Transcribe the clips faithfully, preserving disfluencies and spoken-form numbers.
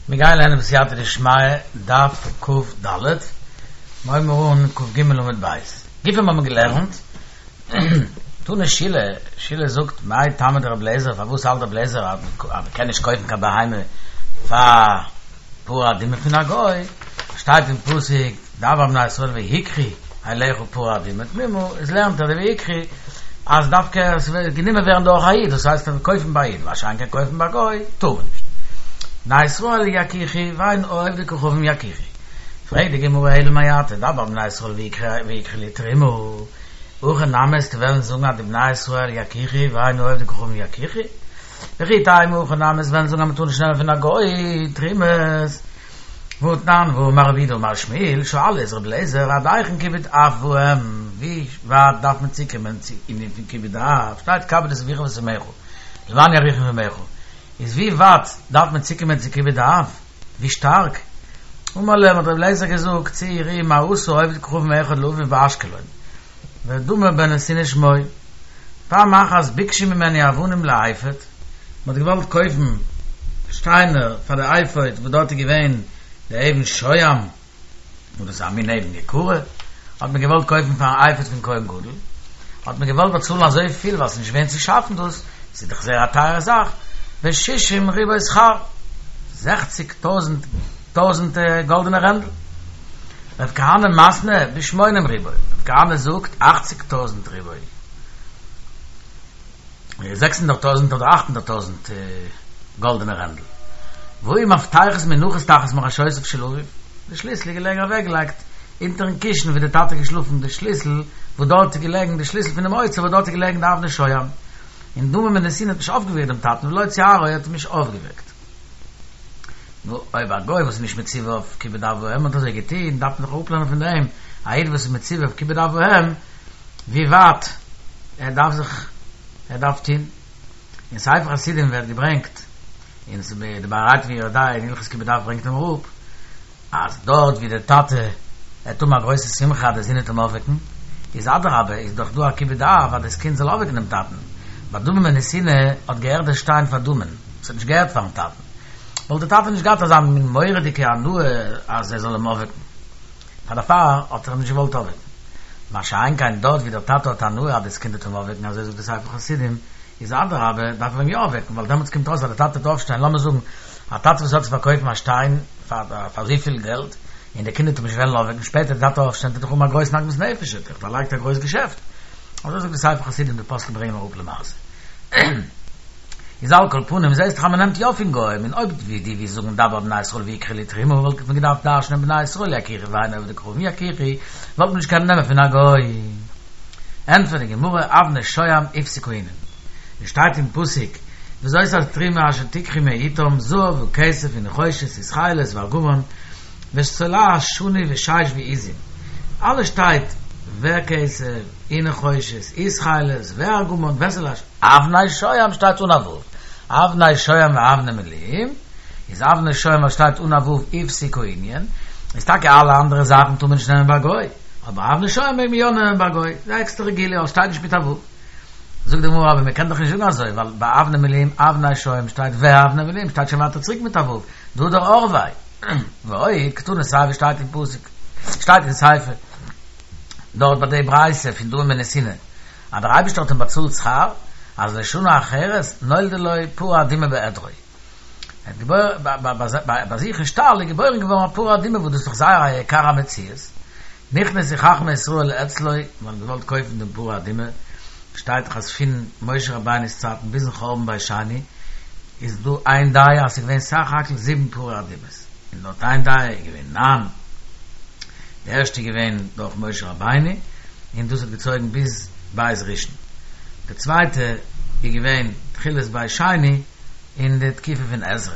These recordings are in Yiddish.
מיר גייען לערנען בסייעתא דשמיא דף כ"ד, מיר הייבן אן כ"ג עמוד ב'. גופא האבן מיר געלערנט, תנא שילא, שילא זאגט מאי טעמא דרבי אליעזר פארוואס האלט רבי אליעזר אז מען קען נישט קויפן קיין בהמה פאר פרה אדומה פון א גוי, שטייט אין פסוק דבר אל בני ישראל ויקחו אליך פרה אדומה תמימה, איז לערנט ער די ויקחו אז דווקא עס וועט גענומען ווערן דורך א איד, דאס הייסט קויפן ביי א איד, מה שאין כן קויפן ביי א גוי טאר מען נישט. בני ישראל יקחו ואין עובדי כוכבים יקחו. פרעגט די גמרא אלא מעתה דבר אל בני ישראל ויקחו לי תרומה, הכי נמי וועסטו וועלן זאגן אז די בני ישראל יקחו ואין עובדי כוכבים יקחו? וכי תימא הכי נמי וועסט וועלן זאגן אז מען טאר נישט נעמען פון א גוי תרומות? והתנן והאמר רב יהודה אמר שמואל שאלו את רבי אליעזר עד היכן כיבוד אב ואם, ווי ווייט דארף מען צוקומען צו ענין פון כיבוד אב, שטייט כבד את אביך ואת אמך למען יאריכון ימיך, איז ווי ווייט דארף מען צוקומען צו כיבוד אב, ווי שטארק? אמר להם האט רבי אליעזר געזאגט צאו וראו מה עשה עובד כוכבים אחד לאביו באשקלון, ודמא בן נתינה שמו, פעם אחת ביקשו ממנו אבנים לאפוד, מען האט געוואלט קויפן שטיינער פאר די אפוד וואס דארט איז געווען די אבן שוהם, וואס דאס איז א מין אבן יקרה, האט מען געוואלט קויפן פארן אפוד פון כהן גדול, האט מען געוואלט באצאלן אזוי פיל ווייל ס'איז נישט געווען צו שאפן דאס, ס'איז דאך זייער א טייערע זאך, בשישים ריבוא שכר, זעכציג טויזנט טויזנט גאלדענע רענדל. רב כהנא מתני בשמונים ריבוא, רב כהנא זאגט אכציג טויזנט ריבוא. זעקס הונדערט טויזנט אדער אכט הונדערט טויזנט גאלדענע רענדל. והיו מפתחות מונחות תחת מראשותיו של אביו, די שליסל איז געלעגן אוועקגעלייגט אונטערן קישן ווי די טאטע איז געשלאפן, די שליסל וואס דארט איז געלעגן, די שליסל פונעם אוצר וואס דארט איז געלעגן די אבני שוהם, און דמא בן נתינה האט נישט אויפגעוועקט דעם טאטן ולא ציערו האט אים נישט אויפגעוועקט. נו, אויב א גוי וואס איז נישט מצווה אויף כיבוד אב ואם האט אזוי געטון, דארף מען דאך אראפלערנען פון דעם, א איד וואס איז מצווה אויף כיבוד אב ואם, ווי ווייט ער דארף זיך ער דארף טון. אין ספר חסידים ווערט געברענגט, און ס'איז די ביאור היטב אין יורה דעה אין הלכות כיבוד אב ברענגט אים אראפ, אז דארט ווי דער טאטע עט האבן א גרויסע שמחה אז דער זון וועט אים אויפוועקן, איז אדרבה איז דאך דא א כיבוד אב אז דאס קינד זאל אויפוועקן דעם טאטן, ביי דמא בן נתינה האט געהערט דער שטיין פאר דמא'ן, ס'האט נישט געהערט פארן טאטן, וואלט דער טאטע נישט געהאט אזא מין מורא'דיגע הנאה אז ער זאל אים אויפוועקן. פאר דערפאר האט ער אים נישט געוואלט אויפוועקן. מה שאין כן דארט ווי דער טאטע האט הנאה אז דאס קינד וועט אים אויפוועקן אזוי זאגט דער ספר חסידים, איז אדרבה דארף ער אים יא אויפוועקן ווייל דעמאלטס קומט אויס אז דער טאטע וועט אויפשטיין, לאמיר זאגן א טאטע וואס האט צו פארקויפן א שטיין פאר אזויפיל געלט און דער קינד וועט אים נישט וועלן אויפוועקן שפעטער דער טאטע אויפשטיין וועט ער דאך האבן א גרויסן עגמת נפש ער האט דאך דערלייגט א גרויס געשעפט. אזוי זאגט דער ספר חסידים די פוסקים ברענגען אראפ למעשה. איז על כל פנים זעהסט דאך אז מען נעמט יא פון גוים, און אויב ווי דו ווילסט זאגן דבר אל בני ישראל ויקחו לי תרומה וואלט מען געדארפט דרש'נען בני ישראל יקחו ואין עובדי כוכבים יקחו וואלט מען נישט קענען נעמען פון א גוי. ענטפערט די גמרא אבני שוהם הפסיק הענין. עס שטייט אין פסוק וזאת התרומה אשר תקחו מאתם זהב וכסף ונחושת ותכלת וארגמן ותולעת שני ושש ועזים אלעס שטייט וכסף ונחושת ותכלת וארגמן ותולעת אבני שוהם שטייט אן א ו', אבני שוהם ואבני מילואים, איז אבני שוהם וואס שטייט אן א ו' הפסיק הענין, איז טאקע אלע אנדערע זאכן טאר מען נישט נעמען ביי גוי, אבער אבני שוהם מעג מען יא נעמען ביי גוי, איז א עקסטערע גילוי ווייל שטייט נישט מיט א ו'. זאגט די גמרא אבער מען קען דאך נישט זאגן אזוי ווייל ביי אבני מילואים אבני שוהם שטייט ואבני מילואים שטייט שוין ווייטער צוריק מיט א ו', דהדר ערביה, ועוד קתני סיפא שטייט אין פסוק, שטייט אין סיפא דארט ביי די ברייתא פון דמא בן נתינה, אז דער אייבערשטער האט אים באצאלט שכר, אז לשנה אחרת נולדה לו פרה אדומה בעדרו. ער האט געבוירן, ביי זיך אין שטאל איז געבוירן געווארן א פרה אדומה וואס דאס איז דאך זייער א יקר המציאות, נכנסו חכמי ישראל אצלו, מען האט געוואלט קויפן דעם פרה אדומה, שטייט דאך אז פון משה רבינו'ס צייטן ביזן חורבן בית שני איז דא איין דעה אז ס'איז געווען סך הכל זיבן פרה אדומות, און לויט איין דעה איז געווען ניין, די ערשטע איז געווען דורך משה רבינו און דאס האט געצויגן ביז בית ראשון, די צווייטע איז געווען תחילת בית שני אין די תקופה פון עזרא.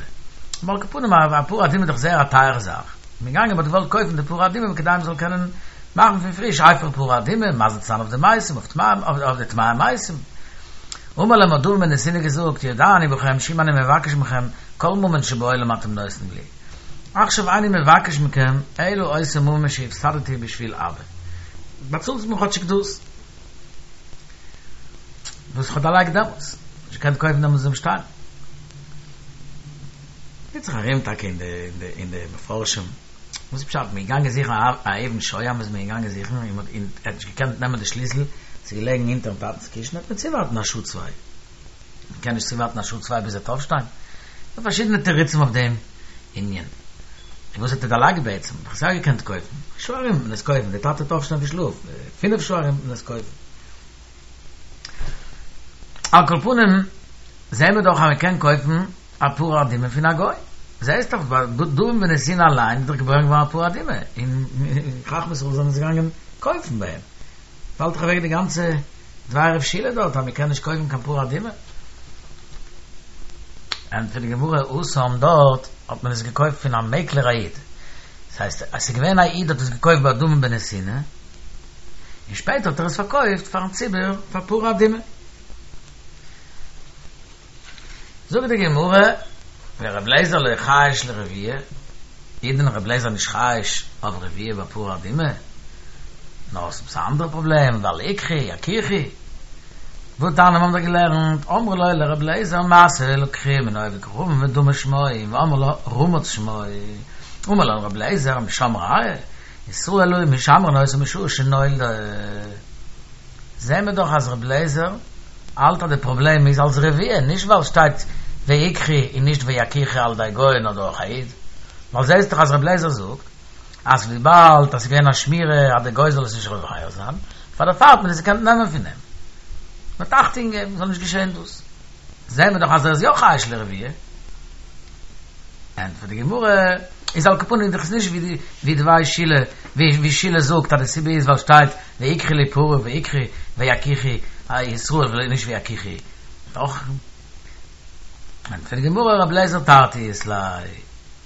אבער על כל פנים א פרה אדומה איז דאך זייער א טייערע זאך, מען איז געגאנגען מען האט געוואלט קויפן די פרה אדומה כדי מען זאל קענען מאכן פון פריש אפר פרה אדומה, מזה צו זיין אויף די מתים, אויף די טמאי מתים. אמר להם האט דמא בן נתינה געזאגט, יודע אני בכם שאם אני מבקש מכם כל ממון שבעולם אתם נותנים לי. עכשיו איני מבקש מכם אלא אותו ממון שהפסדתי בשביל אבא. באצאלטס מיר כאטשיג דאס וואס איך האב דערלייגט דעמאלטס. נישט געקענט קויפן דעמאלטס דעם שטיין. טוט זיך ארום טאקע אין די אין די אין די מפרשים, וואס איז פשט? מ'איז געגאנגען זוכן א אבן שוהם איז מען געגאנגען זוכן און מ'האט און ער האט נישט געקענט נעמען די שליסל, ס'איז געלעגן אונטערן טאטנ'ס קישן, האט מען צואווארטן א שעה צוויי. מ'קען נישט צואווארטן א שעה צוויי ביז ער וועט אויפשטיין? ס'דא פארשידענע תירוצים אויף דעם ענין. און וואס האט ער דערלייגט בעצם? מ'האט עס יא געקענט קויפן. א שעה ארום וועט מען עס קויפן, דער טאטע וועט אויפשטיין פון שלאף, פינף שעה ארום וועט מען עס קויפן. על כל פנים, זעהן מיר דאך אז מ'קען קויפן א פרה אדומה פון א גוי. זעהסט דאך ביי דמים בנתינה אליין איז דאך געבוירן געווארן א פרה אדומה, און חכמי ישראל זענען עס געגאנגען קויפן ביי אים. פאלט דאך אוועק די גאנצע דבר רב שילא דארט אז מ'קען נישט קויפן קיין פרה אדומה. ענטפערט די גמרא, התם דארט האט מען עס געקויפט פון א מעקלער א איד. דאס הייסט אז ס'איז געווען א איד האט עס געקויפט ביי דמים בנתינה, און שפעטער האט ער עס פארקויפט פארן ציבור פאר פרה אדומה. זאגט די גמרא, ור' אליעזר לא חייש לרביעה, איז דען ר' אליעזר נישט חייש אויף רביעה ביי פרה אדומה? נאר עס איז א אנדערע פראבלעם, ווייל איקחי יכיחו. והתניא מיר האבן דאך געלערנט, אמרו לו לר' אליעזר מעשה לקחו מן העובד כוכבים ודמה שמו, ואמרי לה רמץ שמו, אמר להם ר' אליעזר משם ראיה, ישראל היו משמרין אותה משעה שנולדה. זעהן מיר דאך אז ר' אליעזר האלט אז די פראבלעם איז אלס רביעה, נישט ווייל שטייט ויקחו און נישט ויכיחו על ידי גוי נאר דורך א איד, ווייל זעהסט דאך אז ר' אליעזר זאגט אז וויבאלד אז ס'איז געווען א שמירה אז די גוי זאל עס נישט רובה זיין, פאר דערפאר האט מען עס געקענט נעמען פון אים. מ'האט אכטונג געגעבן ס'זאל נישט געשעהן דאס. זעהן מיר דאך אז ער איז יא חייש לרביעה. ענטפערט די גמרא, איז על כל פנים דאך איז נישט ווי ווי דבי שילא, ווי שילא זאגט אז די סיבה איז ווייל שטייט ויקחו לי פרה ויקחו ויכיחו ישראל ונישט ויכיחו דאך. ענטפערט די גמרא רבי אליעזר תרתי אית ליה,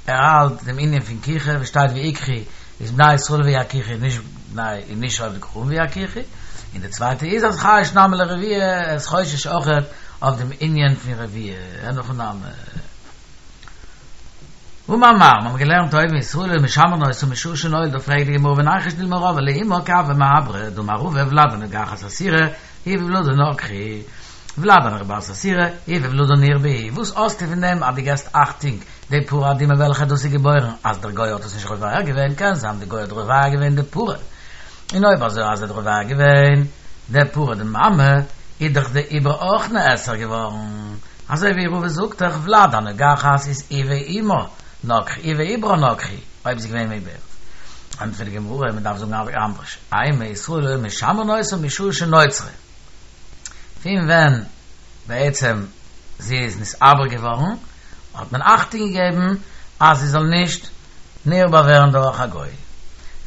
ער האלט דעם ענין פון כיחה וואס שטייט ויקחו איז בני ישראל ויכיחו נישט בני נישט עובדי כוכבים ויכיחו, און די צווייטע איז אז חייש נמי לרביעה, ער איז חושש אויכעט אויף דעם ענין פון רביעה, אין הכי נמי. אמר מר, מיר האבן געלערנט אויבן ישראל היו משמרין אותה משעה שנולדה, פרעגט די גמרא וניחוש דילמא רבעה לאמה כי הוה מעברה, דאמר רבא ולד הנוגחת אסירא היא וולדה נגחו, ולד הנרבעת אסירא היא וולדה נרבעו, וואס האסטו פון דעם אז דו געסט אכטונג די פרה אדומה וועלכע דאס איז געבוירן אז דער גוי האט עס נישט רובה געווען, קען זיין די גוי האט רובה געווען די פרה, און אויב אזוי אז ער האט רובה געווען די פרה די מאמע, איז דאך די עובר אויך נאסר געווארן. אזוי ווי רבא זאגט דאך ולד הנוגחת איז היא ואמה נגחו היא ועוברה נגחו, אויב איז געווען מעוברת. ענטפערט די גמרא, מען דארף זאגן אנדערש, אימא ישראל היו משמרין אותה משעה שנוצרה, פון ווען בעצם זי איז נתעבר געווארן האט מען אכטונג געגעבן אז זי זאל נישט נרבע ווערן דורך א גוי.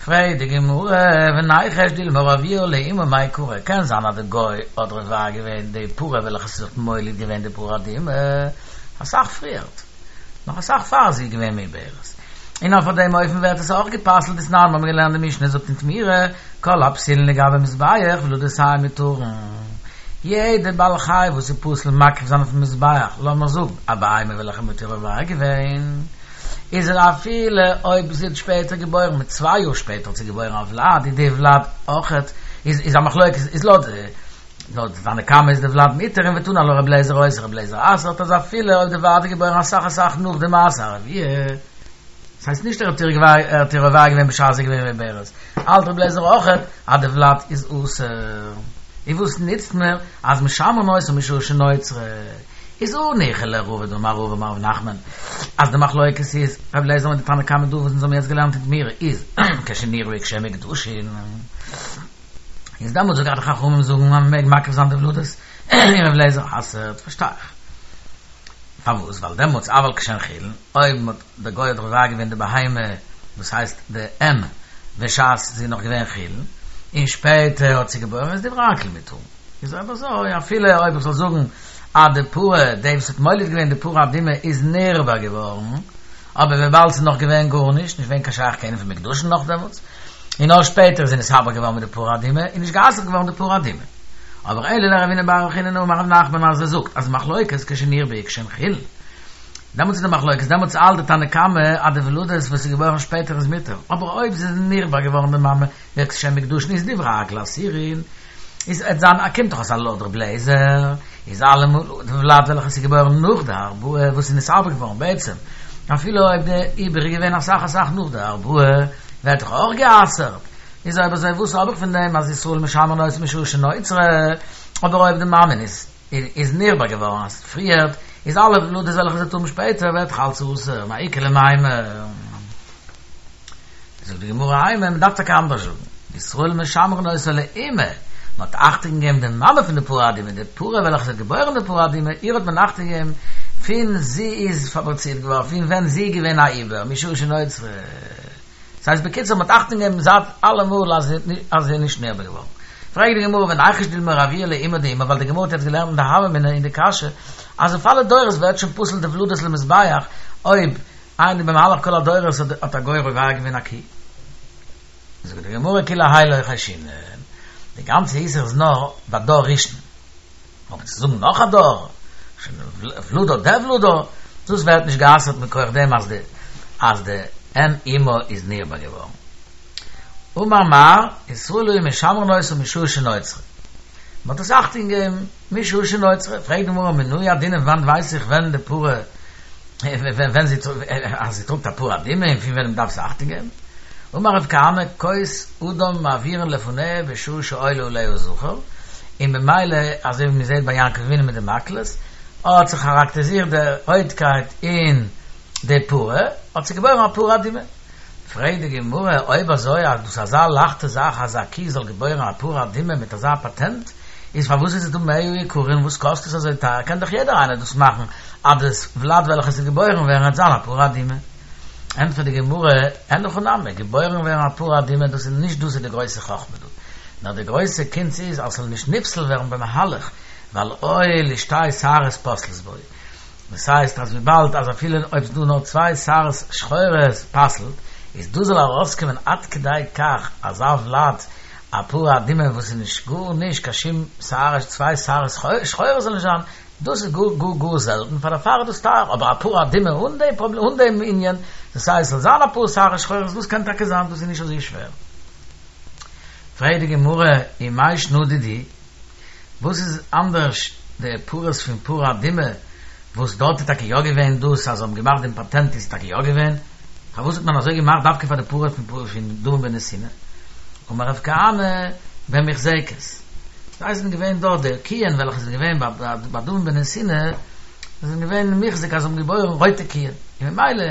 פרעגט די גמרא, וניחוש דילמא רביעה לאמה מעיקרא, קען זיין אז די גוי האט רובה געווען די פרה וועלכע ס'האט מוליד געווען די פרה אדומה אסאך פריערט, נאך אסאך פאר זי איז געווען מעוברת, און אויף דעם אופן ווערט עס אויך גע'פסל'ט דתנן מיר האבן געלערנט די משנה זאגט אין תמורה, כל הפסולין לגבי מזבח ולדותיהן מותרין, יעדע בעל חי וואס איז פסול מקריב זיין אויפן מזבח, לאמיר זאגן א בהמה וועלכע מ'האט איר רובה געווען, איז ער אפילו אויב זי האט שפעטער געבוירן מיט צוויי יאר שפעטער האט זי געבוירן א ולד איז די ולד אויכעט איז איז א מחלוקת איז לויט לויט די תנא קמא איז די ולד מותר און ותני עלה רבי אליעזר אוסר רבי אליעזר אסר'ט אז אפילו אויב די ולד איז געבוירן אסאך אסאך נאך די מעשה הרביעה דאס הייסט נישט ער האט איר ער האט איר רובה געווען בשעת זי איז געווען מעוברת האלט רבי אליעזר אויכעט אז די ולד איז אסור און וואס נוצט מיר אז משמרין אותה משעה שנוצרה איז הניחא לרבא דאמר רבא אמר רב נחמן אז די מחלוקת איז רבי אליעזר מיט די תנא קמא דא וואס אונז האבן יעצט געלערנט אין תמורה איז כשנרבעו כשהן מוקדשין איז דעמאלטס זאגט די חכמים זאגן אז מען מעג מקריב זיין די ולדות און רבי אליעזר אסר'ט פארשטיי איך פארוואס ווייל דעמאלטס אבל כשהן חולין אויב מען האט די גוי האט רובה געווען די בהמה דאס הייסט די אם בשעת זי איז נאך געווען חולין און שפעטער האט זי געבוירן איז דברי הכל מותרין. איז אויב אזוי, אפילו אויב איך זאל זאגן אז די פרה, די וואס האט מוליד געווען די פרה אדומה איז נרבע געווארן, אבער וויבאלד ס'איז נאך געווען גארנישט, נישט געווען קיין שייך קיין ענין פון מוקדשין נאך דעמאלטס, און נאר שפעטער איז זי נתעבר געווארן מיט די פרה אדומה, איז נישט גע'אסר'ט געווארן די פרה אדומה. אבער אלא לרב הונא בר רב חיננא אמר רב נחמן אז ער זאגט אז מחלוקת כשנרבעו כשהן חולין, דעמאלטס איז די מחלוקת, דעמאלטס האלט די תנא קמא אז די ולדות וואס איז געבוירן שפעטער איז מותר, אבער אויב זי איז נרבע געווארן די מאמע וכשהן מוקדשין איז דברי הכל אסורין, איז עט זיין א קומט דאך אויס אז לויט ר' אליעזר איז אלעמאל די ולד וועלכע איז געבוירן נאך די הרבעה וואס איז נתעבר געווארן בעצם אפילו אויב די עיבור איז געווען אסאך אסאך נאך די ארבעה, ווערט דאך אויך גע'אסר'ט. איז אויב אזוי וואס האב איך פון דעם אז ישראל משמרין אותה משעה שנוצרה, אבער אויב די מאמע איז איז נרבע געווארן אז פריערט, איז אלע ולדות וועלכע זי וועט האבן שפעטער ווערט דאך אלץ אסור, מאי איכא למימר. זאגט די גמרא אימא, מען דארף טאקע אנדערש זאגן, ישראל משמרין אותה לאמה, מען האט אכטונג געגעבן די מאמע פון די פרה אדומה, די פרה וועלכע זי האט געבוירן די פרה אדומה, איר האט מען אכטונג געגעבן פון זי איז פאבריצירט געווארן, פון ווען זי איז געווען א עובר, משעה שנוצרה. דאס הייסט בקיצור מען האט אכטונג געגעבן זייט אלעמאל אז זי איז נישט נרבע געווארן. פרעגט די גמרא וניחוש דילמא רבויי לאימא דאימא, ווייל די גמרא האט יעצט געלערנט אין די הוה אמינא אין די קשיא אז אויף אלע דורות ווערט שוין פסול די ולדות למזבח אויב איינער במהלך כל הדורות האט א גוי רובע געווען א קי. זאגט די גמרא כולי האי לא חיישינן, די גאנצע איסור איז נאר ביי דור ראשון, אבער צו זאגן נאך א דור, שוין ולדה דולדה, דאס ווערט נישט גע'אסר'ט מכח דעם אז די אז די אם אמה איז נרבע געווארן. אמר מר, ישראל היו משמרין אותה משעה שנוצרה. מען האט עס אכטונג געגעבן משעה שנוצרה. פרעגט די גמרא מנא ידעינן וואנעט ווייס איך ווען די פרה ווען זי אז זי טראגט א פרה אדומה און פון ווען מען דארף עס אכטונג געבן. אמר רב כהנא כוס אדם מעבירין לפניה בשעה שעולה עליה זכר, און במילא אזוי ווי מען זעט ביי יעקב אבינו מיט די מקלות האט זיך כאראקטעריזירט די רויטקייט אין די פרה, האט זי געבוירן א פרה אדומה. פרעגט די גמרא, אויב אזוי אז דאס אזא לייכטע זאך אז א קי זאל געבוירן א פרה אדומה מיט אזא פאטענט, איז פארוואס איז עס דא מאה יקרין, וואס קאסט עס אזוי טייער, קען דאך יעדער איינער דאס מאכן אז דאס ולד וועלכע עס וועט געבוירן ווערן וועט זיין א פרה אדומה. ענטפערט די גמרא, אין הכי נמי, געבוירן ווערן א פרה אדומה דאס איז נישט דאס איז די גרויסע חכמה דא, נאר די גרויסע קונץ איז אז ס'זאל נישט נפסל ווערן במהלך, ווייל הואיל ושתי שערות פוסלות בו. דאס הייסט אז וויבאלד אז אפילו אויב ס'דא נאר צוויי שערות שחורות פסל'ט, איז דא זאל ארויסקומען עד כדי כך אזא ולד א פרה אדומה וואס איז נישט גארנישט קיין שום שערה צוויי שערות שחורות זאל נישט זיין, דאס איז גאר גאר גאר זעלטן פאר דערפאר איז דאס טייער, אבער א פרה אדומה אן דעם פראבלעם אן דעם ענין, דאס הייסט ס'זאל זיין אפאר שערות שחורות דאס קען טאקע זיין דאס איז נישט אזוי שווער. פרעגט די גמרא ומאי שנא דידהו, וואס איז אנדערש די פרות פון פרה אדומה וואס דארט איז טאקע יא געווען דאס אז זיי האבן געמאכט דעם פאטענט איז טאקע יא געווען, פארוואס האט מען אזוי געמאכט דווקא פאר די פרה פון דמים בנתינה? אמר רב כהנא במוחזקת, זיי זענען געווען דארט די קיען וועלכע זענען געווען ביי דמים בנתינה זענען געווען מוחזק אז זיי האבן געבוירן רויטע קיען, און ממילא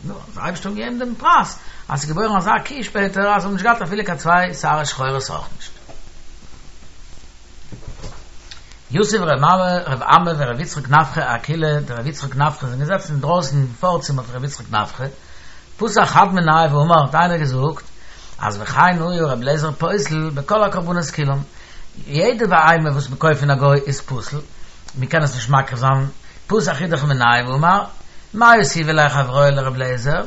נו, האט דער אייבערשטער געגעבן דעם פרס אז ס'איז געבוירן אזא קי שפעטער אז זיי האבן נישט געהאט אפילו קיין צוויי שערות שחורות אויך נישט. יתיב ר' אמי ור' יצחק נפחא אקילעא דר' יצחק נפחא זענען געזעצן אינדרויסן אין פארצימער פון ר' יצחק נפחא, פתח חד מינייהו ואמר האט איינער געזאגט אז וכן היה ר' אליעזר פוסל בכל הקרבנות כולם, יעדע בהמה וואס מען קויפט פון א גוי איז פסול, מען קען עס נישט מקריב זיין, פתח אידך מינייהו ואמר, מאי אותיבו ליה חבריא לר' אליעזר,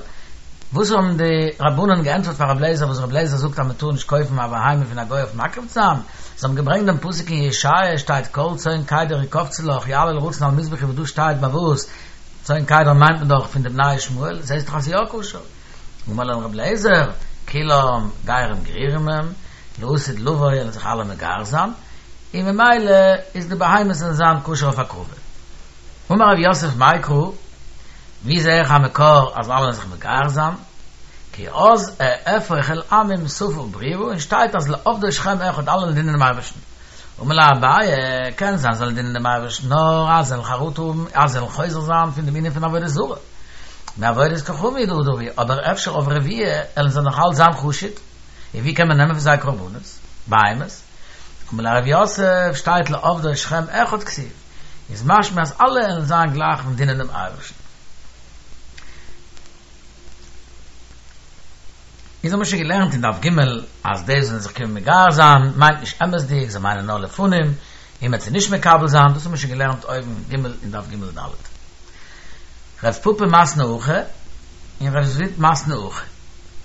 וואס האבן די רבנן געענטפערט פאר ר' אליעזר וואס ר' אליעזר זאגט אז מען טאר נישט קויפן א בהמה פון א גוי אויף מקריב צו זיין, זיי האבן געברענגט דעם פסוק אין ישעיה שטייט כל צאן קדר יקבצו לך יעלה לרצון על מזבחי וואס דא שטייט ביי וואס צאן קדר מיינט מען דאך פון די בני ישמעאל זעסט דאך אז ס'איז יא כשר אמר להם ר' אליעזר כולם גרים גרורים הם לעתיד לבוא וועלן זיך אלע מגייר זיין און ממילא איז די בהמות וועלן זיין כשר אויף הקרבה אמר רב יוסף מאי קרא ווי זעה איך א מקור אז אלע וועלן זיך מגייר זיין? כי אז אהפוך אל עמים שפה ברורה און שטייט אז לעבדו שכם אחד אלע וועלן דינען דעם אייבערשטן. אמר ליה אביי, קען זיין זיי וועלן דינען דעם אייבערשטן נאר אז זיי וועלן חרטה האבן אז זיי וועלן חוזר זיין פון דעם ענין פון עבודה זרה. מעבודת כוכבים הוא דעדו, אבער אפשר אויף רביעה וועלן זיי נאך אלץ זיין חשוד, און ווי קען מען נעמען פון זיי קרבנות, בהמות? אמר ליה רב יוסף, שטייט לעבדו שכם אחד כתיב. איז משמע אז אלע וועלן זיין גלייך און דינען דעם אייבערשטן. אונז האבן שוין געלערנט אין דף ג' אז די וואס וועלן זיך קומען מגייר זיין מיינט נישט אמת'דיג, זיי מיינען נאר לפנים, און מ'וועט זיי נישט מקבל זיין, דאס האבן מיר שוין געלערנט אויבן ג' אין דף ג' ד'. רב פפא מתני הכי און רב זביד מתני הכי.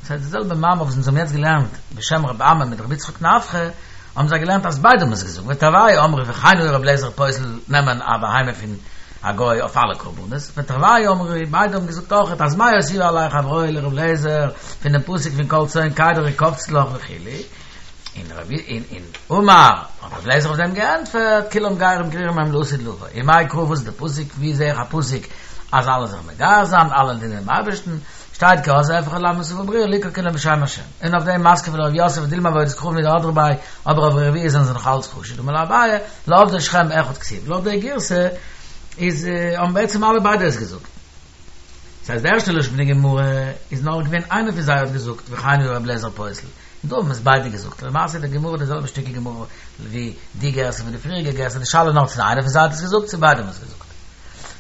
דאס הייסט די זעלבע מאמר וואס אונז האבן יעצט געלערנט בשם רב אמי מיט רבי יצחק נפחא, האבן זיי געלערנט אז ביידע האבן עס געזאגט, ותרוייהו אמרי וכן היה רבי אליעזר פוסל נעמען א בהמה פון א גוי אויף אלע קרבנות, ותרוייהו אמרי ביידע האבן געזאגט אויכעט אז מאי אותיבו עליה חבריא לרבי אליעזר פון דעם פסוק פון כל צאן קדר יקבצו לך וכו', און און אמר האט רבי אליעזר אויף דעם געענטפערט כולם גרים גרורים הם לעתיד לבוא, ומאי קרא וואס איז די פסוק ווי זעה איך א פסוק אז אלע זיך מגייר זיין, אלע דינען דעם אייבערשטן, שטייט כי אז אהפך אל עמי שפה ברורה לקרוא כולם בשם השם. און אויף דעם מתקיף לה רב יוסף דילמא עבודת כוכבים הוא דהדרי ביה, אבער אויף רביעה זענען זיי נאך אלץ חשוד, אמר ליה אביי, לעובדו שכם אחד כתיב. לויט די גירסא איז האבן בעצם אלע ביידע עס געזאגט. דאס הייסט די ערשטע לשון פון די גמרא איז נאר געווען איינער פון זיי האט געזאגט וכן היה רבי אליעזר פוסל, און דא האבן עס ביידע געזאגט, למעשה איז די גמרא די זעלבע שטיקל גמרא ווי די גרסה ווי די פריעריגע גרסה, די שאלה איז נאר צו איינער פון זיי האט עס געזאגט צו ביידע האבן עס געזאגט.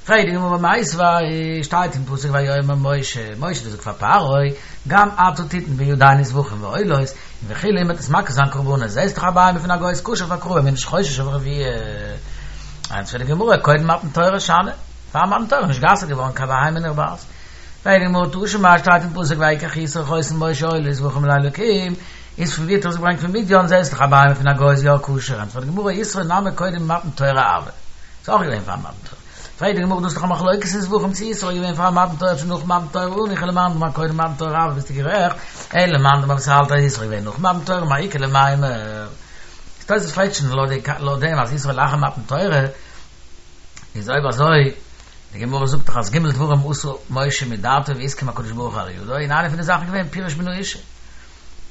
פרעגט די גמרא מיתיבי, שטייט אין פסוק ויאמר משה, משה האט געזאגט פאר פרעה, גם אתה תתן בידינו זבחים ועולות, און וכו' מ'וועט עס מקריב זיין קרבנות, זעסט דאך א בהמה פון א גוי איז כשר פאר הקרבה, מ'איז נישט חושש אויף רביעה. ענטפערט די גמרא, קודם מתן תורה שאני, פאר מתן תורה איז נישט גע'אסר'ט געווארן קיין בהמה נרבעת. פרעגט די גמרא תא שמע, שטייט אין פסוק ויקח יתרו חותן משה עולה וזבחים לאלקים, איז פון ווי האט ער עס געברענגט פון מדין, זעסט דאך א בהמה פון א גוי איז יא כשר, ענטפערט די גמרא יתרו נמי קודם מתן תורה הוה, ס'איז אויך געווען פאר מתן תורה. פרעגט די גמרא דאס איז דאך א מחלוקת אין זבחים צו יתרו איז געווען פאר מתן תורה צו נאך מתן תורה הניחא למאן דאמר קודם מתן תורה הוה ביסטו גערעכט, אלא למאן דאמר וואס האלט אז יתרו איז געווען נאך מתן תורה מאי איכא למימר. תוספות פרעגט שוין לויט דעם אז יתרו לאחר מתן תורה איז אויב אזוי די גמרא זאגט דאך אז ג' דברים עשה משה מדעתו והסכים הקדוש ברוך הוא על ידו און איינע פון די זאכן איז געווען פירש מן האשה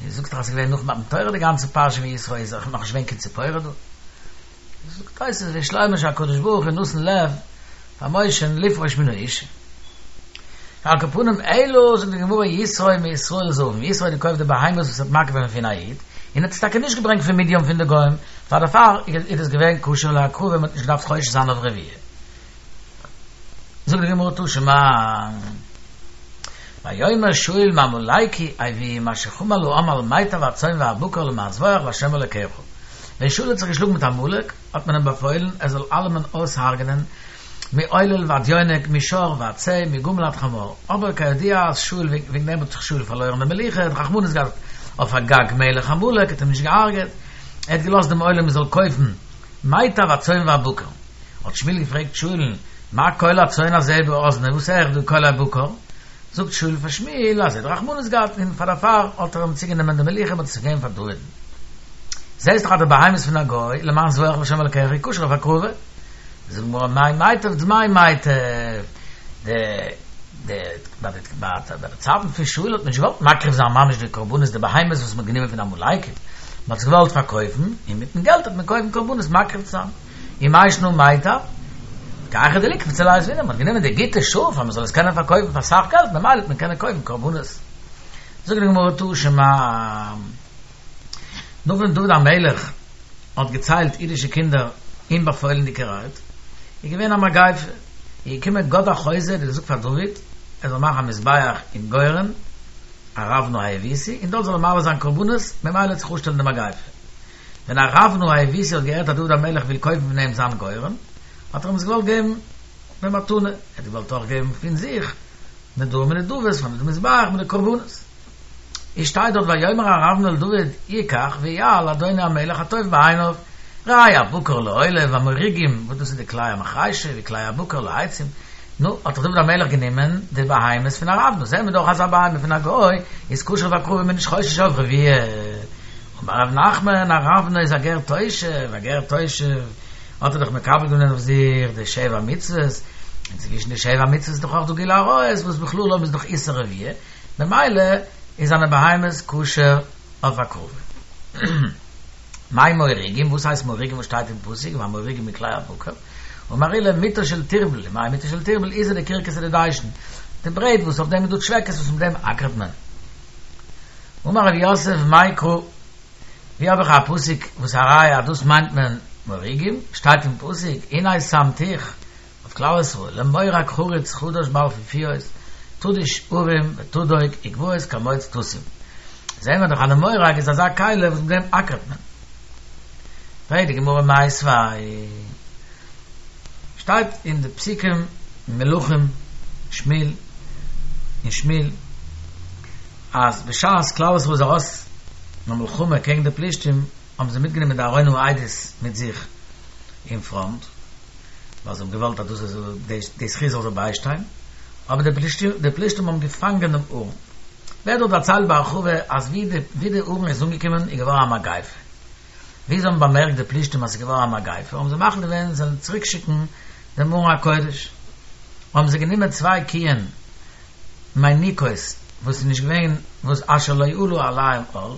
און זאגסט דאך אז ס'איז געווען נאך מתן תורה די גאנצע פרשה פון יתרו איז נאך נישט געווען קיין ציפורה דא זאגט תוספות ויש לומר שהקדוש ברוך הוא נתן לב פאר משה לפרוש מן האשה על כל פנים אלא זאגט די גמרא יתרו מישראל זבין יתרו האט געקויפט די בהמות וואס האט מקריב געווען פון א איד און האט עס טאקע נישט געברענגט פון מדין פון די גוים פאר דערפאר איז עס געווען כשר להקרבה מען האט נישט געדארפט חושש זיין אויף רביעה זאגט די גמרא תא שמע ויאמר שאול מעמלקי הביאום אשר חמל העם על מיטב הצאן והבקר למען זבח לה' אלוקיך ווען שאול האט זיך געשלאגן מיט עמלק האט מען אים באפוילן ער זאל אלעמען אויסהרג'נען מעולל ועד יונק, משור ועד שה, מגמל עד חמור. אבער כידוע אז שאול, וועגן דעם האט זיך שאול פארלוירן די מלוכה, ער האט רחמנות געהאט אויף אגג מלך עמלק, האט אים נישט געהארגעט, ער האט געלאזט דעם עולם מ'זאל קויפן מיטב הצאן והבקר. האט שמואל געפרעגט שאול'ן, מה קול הצאן הזה באזני, וואס הער איך דא קול הבקר? זאגט שאול פאר שמואל אז ער האט רחמנות געהאט און פאר דערפאר האט ער אים צוגענומען די מלוכה און האט עס געגעבן פאר דוד'ן. זעסט דאך אז די בהמות פון א גוי, למען זבח להשם אלקיך איז כשר אויף הקרבה. זאגט די גמרא מאי מיטב דמי מיטב, די די ביי די ביי די צייטן פון שאול האט מען נישט געוואלט מקריב זיין ממש די קרבנות די בהמות וואס מען האט גענומען פון עמלקים, מען האט עס געוואלט פארקויפן און מיטן געלט האט מען קויפן קרבנות מקריב צו זיין, ומאי שנא מיטב, כי היכי דליקפוץ עליה זבינא, מען האט גענומען די גוטע שאף אז מען זאל עס קענען פארקויפן פאר אסאך געלט ממילא האט מען קענען קויפן קרבנות. זאגט די גמרא תא שמע, נאך ווען דוד המלך האט געציילט אידישע קינדער אומבאפוילנדיגערהייט, איז געווען א מגיפה, איז געקומען גד החוזה און געזאגט פאר דוד ער זאל מאכן א מזבח אין גורן ארונה היבוסי און דארט זאל ער מעלה זיין קרבנות, ממילא וועט זיך אפשטעלן די מגיפה. ווען ארונה היבוסי האט געהערט אז דוד המלך וויל קויפן פון אים זיין גורן, האט ער אים עס געוואלט געבן במתנה, ער האט געוואלט אויך געבן פון זיך נדרים ונדבות פאר די מזבח מיט די קרבנות. איז שטייט דארט ויאמר ארונה אל דוד יקח ויעל אדוני המלך הטוב בעיניו, ראה הבקר לעולה והמוריגים, וואס דאס איז די כלי המחרישה וכלי הבקר לעצים, נו, האט דאך דוד המלך גענומען די בהמות פון ארונה, זעהן מיר דאך אז א בהמה פון א גוי איז כשר להקרבה מ'איז נישט חושש אויף רביעה. אמר רב נחמן, ארונה איז א גר תושב, א גר תושב האט ער דאך מקבל געווען אויף זיך די שבע מצוות, און צווישן די שבע מצוות איז דאך אויך דא גילוי עריות וואס בכללם איז דאך איסור רביעה, ממילא איז זיינע בהמות כשר אויף הקרבה. מאי מוריגים, וואס הייסט מוריגים וואס שטייט אין פסוק והמוריגים מכלי הבקר? אמר עולא מטה של תרבל, מאי מטה של תרבל עיזא דכרכסא דדיישן, די ברעט וואס אויף דעם איז דא טשוועקעס וואס מיט דעם אקערט מען. אמר רב יוסף מאי קרא, ווי האב איך א פסוק וואס א ראיה אז דאס מיינט מען מוריגים, שטייט אין פסוק הנה שמתיך אויף כלל ישראל, למורג חרוץ חדש בעל פיפיות, תדוש הרים ותדוק וגבעות כמוץ תשים. זעהן מיר דאך אז די מורג איז אזא כלי וואס מיט דעם אקערט מען. פרעגט די גמרא מיתיבי. שטייט אין די פסוקים אין מלכים, שמואל, אין שמואל, אז בשעת כלל ישראל איז ארויס אין א מלחמה קעגן די פלישתים, האבן זיי מיטגענומען די ארון העדות מיט זיך אין פראנט, ווייל זיי האבן געוואלט אז דאס איז די זכות זאל זיי ביישטיין, אבער די פלישתים די פלישתים האבן געפאנגען דעם ארון. ווערט דארט דערציילט בהרחבה אז ווי די ווי די ארון איז אנגעקומען איז געווארן א מגיפה. ווי זיי האבן באמערקט די פלישתים אז ס'איז געווארן א מגיפה האבן זיי מחליט געווען זיי זאלן צוריק שיקן דעם ארון הקודש. האבן זיי גענומען צוויי קיען מיניקות וואס איז נישט געווען וואס אשר לא עלה עליהם עול, און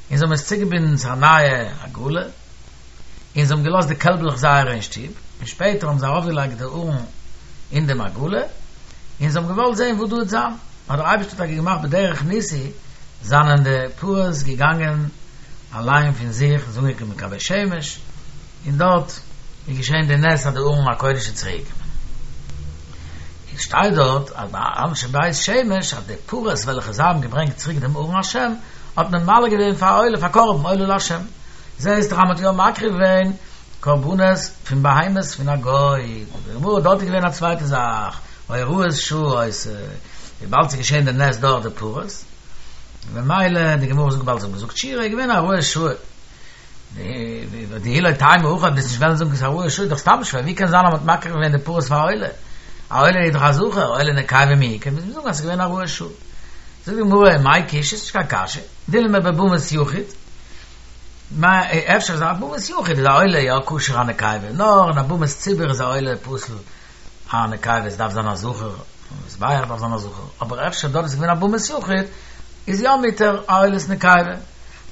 זיי האבן עס צוגעבינדן צו א נייע עגלה, און זיי האבן געלאזט די קעלבלעך זייערע אין שטוב, און שפעטער האבן זיי ארויפגעלייגט די ארון אין דעם עגלה, און זיי האבן געוואלט זען וואס דא וועט זיין, האט דער אייבערשטער טאקע געמאכט בדרך ניסי, זענען די פרות געגאנגען אליין פון זיך, און זענען אנגעקומען קיין בית שמש, און דארט איז געשען די נס אז די ארון הקודש איז צוריק געקומען. עס שטייט דארט אז ביי אנשי בית שמש אז די פרות וועלכע זיי האבן געברענגט צוריק דעם ארון השם האט מען מעלה געווען פאר א עולה פאר קרבן עולה להשם. זעהסט דאך אז מען האט יא מקריב געווען קרבנות פון בהמות פון א גוי. זאגט די גמרא דארט איז געווען א צווייטע זאך, הוראת שעה היתה, וויבאלד ס'איז געשען די נס דורך די פרות, ממילא די גמרא זאגט וויבאלד זיי האבן געזאגט שירה איז געווען א הוראת שעה. דאי לא תימא הכי וועסט נישט וועלן זאגן ס'איז א הוראת שעה איז דאך סתם שווער, ווי קען זיין אז מ'האט מקריב געווען די פרות פאר א עולה? א עולה איז דאך א זכר, עולה נקבה מי איכא, מוז מען זאגן אז ס'איז געווען א הוראת שעה. זאגט די גמרא, מאי קושיא, ס'איז נישט קיין קשיא, דילמא בבמת יחיד, אפשר איז א במת יחיד איז א עולה יא כשר א נקבה, נאר אין א במת ציבור איז א עולה פסול א נקבה, עס דארף זיין א זכר, מזבח דארף זיין א זכר, אבער אפשר דארט איז געווען א במת יחיד, איז יא מותר א עולת נקבה.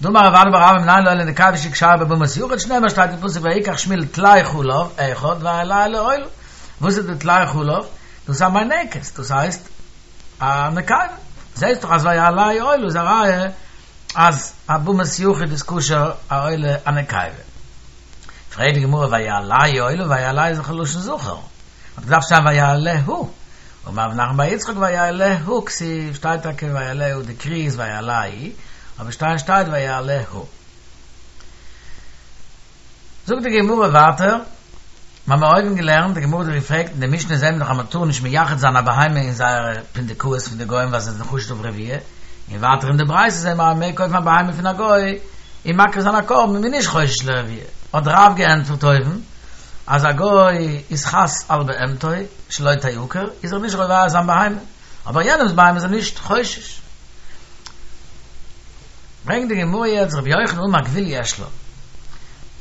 דאמר רב אדא בר אהבה מנין לעולה נקבה שהיא כשרה בבמת יחיד שנאמר שטייט אין פסוק ויקח שמואל טלאי חלב אחד ויעלהו לעולה וואס איז די טלאי חלב? דאס איז א מינקת דאס הייסט א נקבה זעהסט דאך אז ויעלהו עולה איז א ראיה אז א במת יחיד איז כשר א עולה א נקבה פרעגט די גמרא ויעלהו עולה ויעלהו איז דאך א לשון זכר האט געדארפט שטיין ויעלהו, אמר רב נחמן בר יצחק ויעלהו כתיב, שטייט טאקע ויעלהו די קרי איז ויעלהו, אבער שטיין שטייט ויעלהו. זאגט די גמרא ווייטער, מיר האבן אויבן געלערנט, די גמרא האט געפרעגט אין די משנה זעהן מיר דאך אז מען טאר נישט מייחד זיין א בהמה אין זייערע פונדקאות פון די גוים ווייל זיי זענען חשוד אויף רביעה, און ווייטער אין די ברייתא זעהן מיר אז מען מעג קויפן א בהמה פון א גוי און מקריב זיין א קרבן און מען איז נישט חושש לרביעה, האט רב געענטפערט אויבן, אז א גוי איז חס על בהמתו שלא תעקר, איז ער נישט רובע זיין בהמה, אבער יענעמס בהמה איז ער נישט חושש. ברענגט די גמרא יעצט רבי יוחנן אמר גבול יש לה,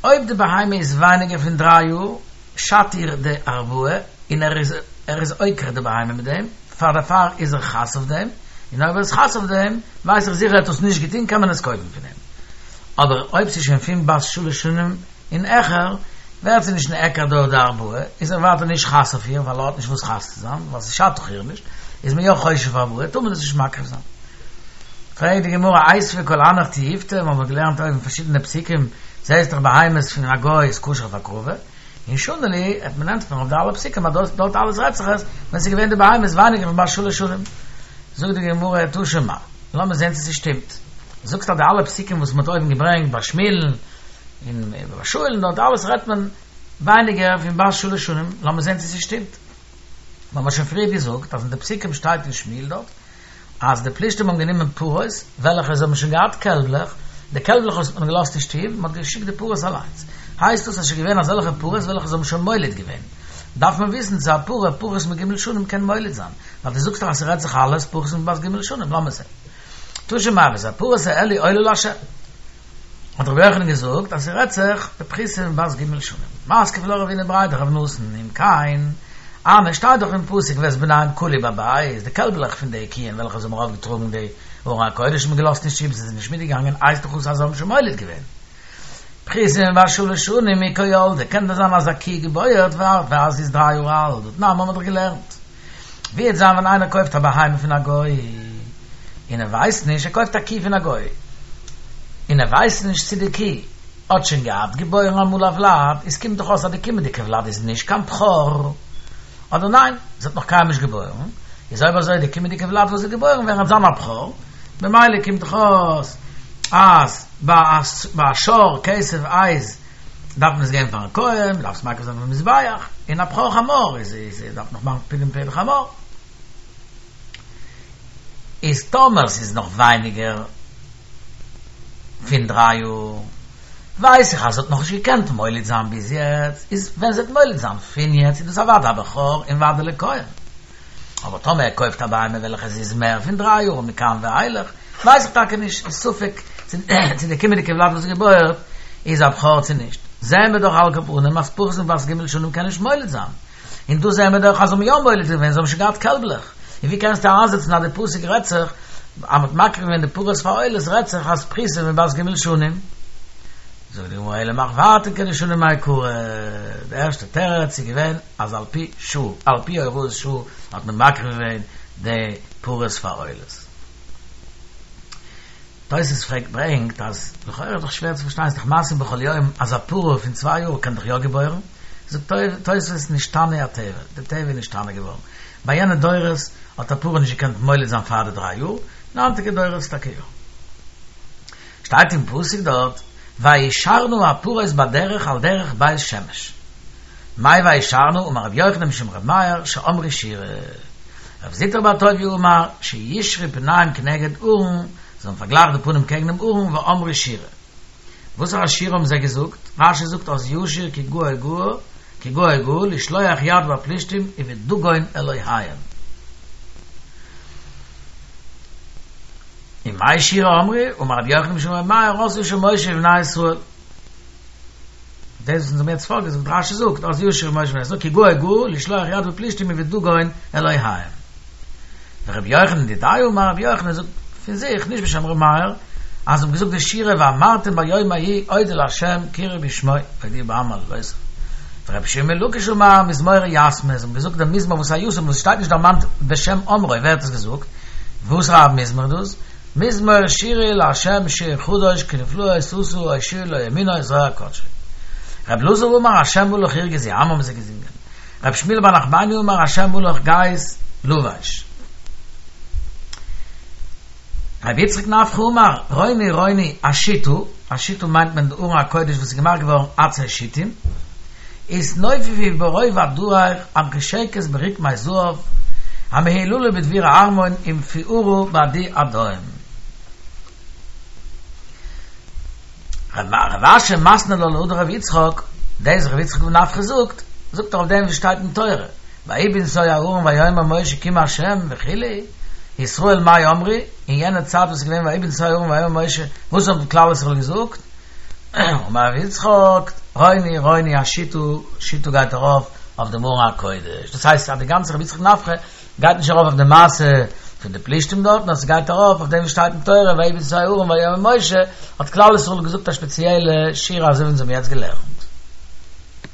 אויב די בהמה איז ווייניגער פון דריי יאר, שאדט איר די ארבעה, און ער איז ער איז עוקר די בהמה מיט דעם, פאר דערפאר איז ער חס אויף דעם, און אויב ער איז חס אויף דעם, ווייס איך זיכער ער האט עס נישט געטון קען מען עס קויפן פון אים. אבער אויב ס'איז שוין פון בת שלש שנים און העכער, ווערט זי נישט נעקר דורך די ארבעה, איז ער ווייטער נישט חס אויף איר, ווייל ער האט נישט וואס חס צו זיין, ווייל ס'שאדט דאך איר נישט, איז מען יא חושש אויף ארבעה, טאר מען עס נישט מקריב זיין. פרעגט די גמרא, איתיביה כל הנך תיובתא, מיר האבן געלערנט אויבן פארשידענע פסוקים, זעהסט דאך בהמות פון א גוי איז כשר אויף הקרבה, און שני להו, העט מען ענטפערן אויף די אלע פסוקים אז דאס דארט אלעס רעדט זיך עס ווען ס'איז געווען די בהמות ווייניגער פון בת שלש שנים. זאגט די גמרא, תא שמע, לאמיר זעהן צו ס'שטימט. זאגסט אז די אלע פסוקים וואס מ'האט אויבן געברענגט ביי שמואל'ן, און ביי שאול'ן דארט אלעס רעדט מען ווייניגער פון בת שלש שנים, לאמיר זען צו ס'שטימט. מיר האבן שוין פריער געזאגט אז אין די פסוקים שטייט אין שמואל דארט אז די פלישתים האבן גענומען פרות וועלכע זיי האבן שוין געהאט קעלבלעך, די קעלבלעך האט מען געלאזט אין שטוב, מען האט געשיקט די פרות אליינס. הייסט דאס אז ס'איז געווען אזעלכע פרות וועלכע זיי האבן שוין מוליד געווען. דארף מען וויסן צו א פרה פחות מג' שנים קען מוליד זיין, ווייל דו זאגסט דאך אז ס'רעדט זיך אלעס פחות מבת ג' שנים, לאמיר זען. תא שמע ואת הפרות האלו עולה לה'. האט רבי יוחנן געזאגט אז ס'רעדט זיך בפחותה מבת ג' שנים. מתקיף לה רב הונא בריה דרב נתן, אם כן, הני שטייט דאך אין פסוק ואת בניהם כלו בבית, די קעלבלעך פון די קיען וועלכע זיי האבן ארויפגעטראגן די ארון הקודש האט מען געלאזט אין שטוב, זיי זענען נישט מיטגעגאנגען, הייסט דאך אויס אז זיי האבן שוין מוליד געווען. פחותה מבת שלש שנים מי קא ילדה, קען דען זיין אז א קי געבוירט פאר זי איז דריי יאר אלט, והתנן האבן מיר דאך געלערנט. ווי וועט זיין ווען איינער קויפט א בהמה פון א גוי און ער ווייסט נישט, ער קויפט א קי פון א גוי און ער ווייסט נישט צו די קי האט שוין געהאט געבוירן אמאל א וולד, איז קומט דאך אויס אז די קומענדיגע וולד איז נישט קיין בכור, אדער ניין, זי האט נאך קיינמאל נישט געבוירן, איז אויב אזוי די קומענדיגע וולד וואס וועט געבוירן ווערן וועט זיין א בכור, ממילא קומט דאך אויס אז ביי א שור כשב עז דארף מען עס געבן פארן כהן, מען דארף עס מקריב זיין אויפן מזבח, און א בכור חמור איז איז דארף נאך מאכן פדיון פטר חמור. איז טאמער ס'איז נאך ווייניגער פון דריי יאר, ווייס איך אז זי האט נאכנישט געקענט מוליד זיין ביז יעצט, איז ווען זי וועט מוליד זיין פון יעצט איז דאס אוודאי א בכור און וודאי לכהן. אבער טאמער ער קויפט א בהמה וועלכע זי איז מער פון דריי יאר מכאן ואילך, ווייס איך טאקע נישט, איז ספק צו די קומענדיגע וולד וואס געבוירט איז א בכור צו נישט. זעען מיר דאך על כל פנים אז פחות מבת ג' שנים קען נישט מוליד זיין. און דא זעהן מיר דאך אז זיי האבן יא מוליד געווען, זיי האבן שוין געהאט קעלבלעך, און ווי קענסטו איינזעצן אז די פסוק רעדט זיך אז מ'האט מקריב געווען די פרות פאר עולות רעדט זיך אז פחותה מבת ג' שנים? זאגט די גמרא אלא מחוורתן כדשנים מעיקרא, די ערשטע תירוץ איז געווען אז על פי שעה, על פי הוראת שעה האט מען מקריב געווען די פרות פאר עולות. תוס' פרעגט ברענגט אז לכאורה איז דאך שווער צו פארשטיין, ס'איז דאך מעשים בכל יום אז א פרה פון צוויי יאר קען דאך יא געבוירן, זאגט תוס' נשתנה הטבע, די טבע איז נשתנה געווארן, ביי יענע דורות האט א פרה נישט געקענט מוליד זיין פאר די דריי יאר, אין היינטיגע דורות טאקע יא. שטייט אין פסוק דארט וישרנה הפרות בדרך על דרך בית שמש. מאי וישרנה אמר רבי יוחנן משום רבי מאיר שאמרו שירה. רב זוטרא בר טוביה אמר שישרו פניהם כנגד ארון, זיי האבן פארגלייכט די פנים קעגן דעם ארון ואמרו שירה. וואסערע שירה האבן זיי געזאגט? רש"י זאגט אז ישיר כי גאה גאה כי גאה גאה לשלוח יד בפלישתים ובדגון אלוהיהם. ומאי שירה אמרו? אמר רבי יוחנן משום רבי מאיר אז ישיר משה ובני ישראל. דאס וואס אונז האבן יעצט פארגעזאגט, רש"י זאגט אז ישיר משה ובני ישראל כי גאה גאה לשלוח יד בפלישתים ובדגון אלוהיהם. ורבי יוחנן דידיה אמר רבי יוחנן זאגט פון זיך, נישט בשם רבי מאיר, אז זיי האבן געזאגט די שירה ואמרתם ביום ההוא אודו לה' קראו בשמו הודיעו בעם מעלותיו. ורבי שמעון בן לקיש אמר מזמורי יתמי, זיי האבן געזאגט דעם מזמור וואס א יתום וואס שטייט נישט דערמאנט בשם אומרו ווער האט עס געזאגט, וואסערע א מזמור איז דאס? מזמור שירו לה' שיר חדש כי נפלאות עשה הושיעו לא ימינו זרוע קדשו. רבי אלעזר אמר ה' מלך ירגזו עמים האבן זיי געזינגען. רבי שמואל בר נחמני אמר ה' מלך גאות לבש. רבי יצחק נפחא אמר, רוני רוני השיטה, השיטה מיינט מען די ארון הקודש וואס איז געמאכט געווארן עצי שיטים, התנופפי ברוב הדריך המחושקת ברקמי זהב, המהוללה בדביר הארמון ומפוארה בעדי עדיים. רב אשי מתני לה להא דרבי יצחק, דאס רבי יצחק נפחא זאגט, זאגט ער אויף דעם וואס שטייט אין תורה, ויהי בנסוע הארון ויאמר משה קום ה' וכו', ישראל מאי אמרו, אין יענע צייט וואס איז געווען ויהי בנסוע הארון ויאמר משה, וואס האט כלל ישראל געזאגט? אמר רבי יצחק, רוני רוני השיטה, שיטה גייט ארויף אויף דעם ארון הקודש, דאס הייסט אז די גאנצע רבי יצחק נפחא גייט נישט ארויף אויף די מעשה פון די פלישתים דארט, נאר ס'גייט ארויף אויף דעם וואס שטייט אין תורה ויהי בנסוע הארון ויאמר משה, האט כלל ישראל געזאגט א שפעציעלע שירה אזוי ווי אונז האבן יעצט געלערנט.